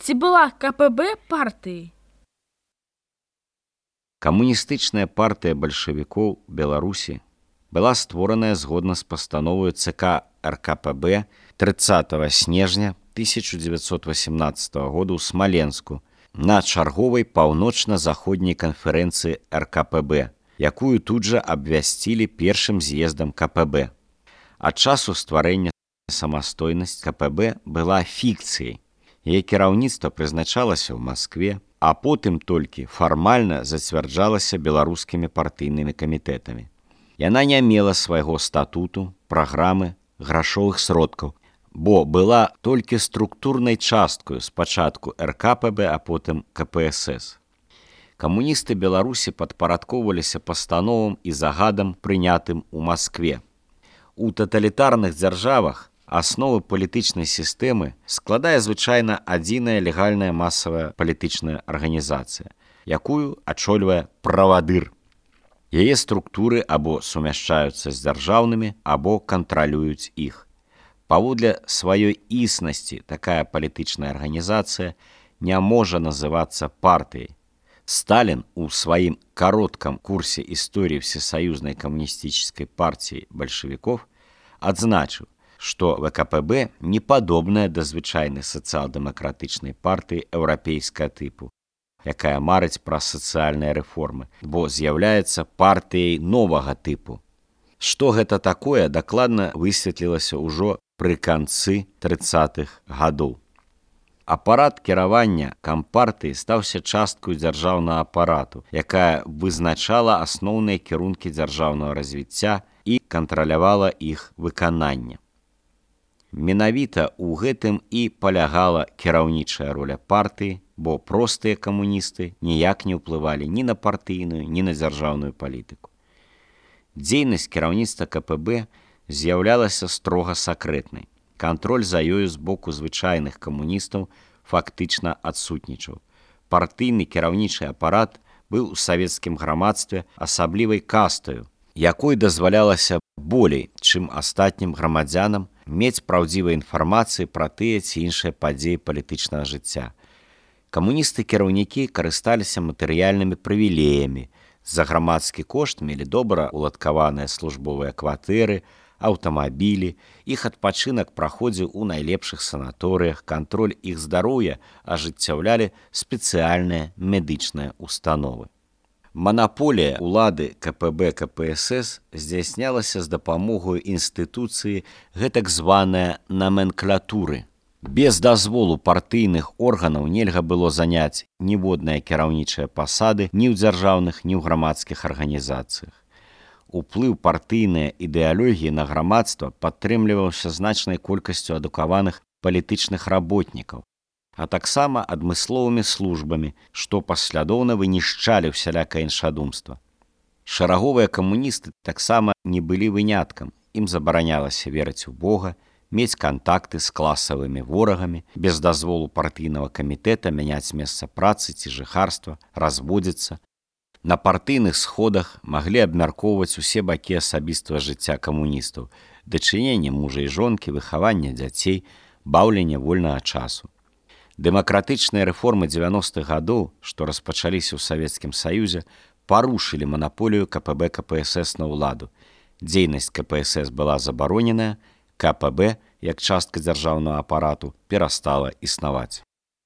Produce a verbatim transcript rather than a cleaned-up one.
Ці была КПБ партыяй? Камуністычная партыя бальшавікоў Беларусі была створаная згодна з пастановою ЦК РКПБ трыццатага снежня тысяча дзевяцьсот васямнаццатага года ў Смаленску на чарговай паўночна-заходняй канферэнцыі РКПБ, якую тут жа абвясцілі першым з'ездам КПБ. Ад часу стварэння самастойнасць КПБ была фікцыяй. Яе кіраўніцтва прызначалася ў Маскве, а потым толькі фармальна зацвярджалася беларускімі партыйнымі камітэтамі. Яна не мела свайго статуту, праграмы, грашовых сродкаў, бо была толькі структурнай часткаю спачатку РКПБ, а потым КПСС. Камуністы Беларусі падпарадкоўваліся пастановам і загадам, прынятым у Маскве. У таталітарных дзяржавах асновы палітычнай сістэмы складае звычайна адзіная легальная масавая палітычная арганізацыя, якую ачольвае правадыр. Яе структуры або сумяшчаюцца з дзяржаўнымі, або кантралююць іх. Паводле сваёй існасці такая палітычная арганізацыя не можа называцца партыяй. Сталін у сваім кароткам курсе історыі Всесоюзнай камуністычнай партіі бальшавікоў адзначыў, што ВКПБ не падобная да звычайнай сацыял-дэмакратычнай партыі еўрапейскага тыпу, якая марыць пра сацыяльныя рэформы, бо з'яўляецца партыяй новага тыпу. Што гэта такое, дакладна высветлілася ўжо пры канцы трыццатых гадоў. Апарат кіравання кампартыі стаўся часткаю дзяржаўнага апарату, якая вызначала асноўныя кірункі дзяржаўнага развіцця і кантралявала іх выкананне. Менавіта ў гэтым і палягала кіраўнічая роля партыі, бо простыя камуністы ніяк не ўплывалі ні на партыйную, ні на дзяржаўную палітыку. Дзейнасць кіраўніцтва КПБ з'яўлялася строга сакрэтнай. Кантроль за ёю з боку звычайных камуністаў фактычна адсутнічаў. Партыйны кіраўнічы апарат быў у савецкім грамадстве асаблівай кастаю, якой дазвалялася болей, чым астатнім грамадзянам, мець праўдзівай інфармацыі пра тыя ці іншыя падзеі палітычнага жыцця. Камуністы-кіраўнікі карысталіся матэрыяльнымі прывілеямі. За грамадскі кошт мелі добра уладкаваныя службовыя кватэры, аўтамабілі, іх адпачынак праходзіў у найлепшых санаторыях, кантроль іх здароўя ажыццяўлялі спецыяльныя медычныя установы. Манаполія ўлады КПБ КПСС здзяйснялася з дапамогаю інстытуцыі гэтак званая наменклатуры. Без дазволу партыйных органаў нельга было заняць ніводныя кіраўнічыя пасады ні ў дзяржаўных, ні ў грамадскіх арганізацыях. Уплыў партыйнай ідэалогіі на грамадства падтрымліваўся значнай колькасцю адукаваных палітычных работнікаў, а таксама адмысловымі службамі, што паслядоўна вынішчалі ўсялякае іншадумства. Шараговыя камуністы таксама не былі выняткам, ім забаранялася верыць у Бога, мець кантакты з класавымі ворагамі, без дазволу партыйнага камітэта мяняць месца працы ці жыхарства, разводзіцца. На партыйных сходах маглі абмяркоўваць усе бакі асабістага жыцця камуністаў, дачыненне мужа і жонкі, выхаванне дзяцей, баўленне вольнага часу. Дэмакратычныя рэформы дзевяностых гадоў, што распачаліся ў Савецкім Саюзе, парушылі манаполію КПБ КПСС на ўладу. Дзейнасць КПСС была забароненая, КПБ, як частка дзяржаўнага апарату, перастала існаваць.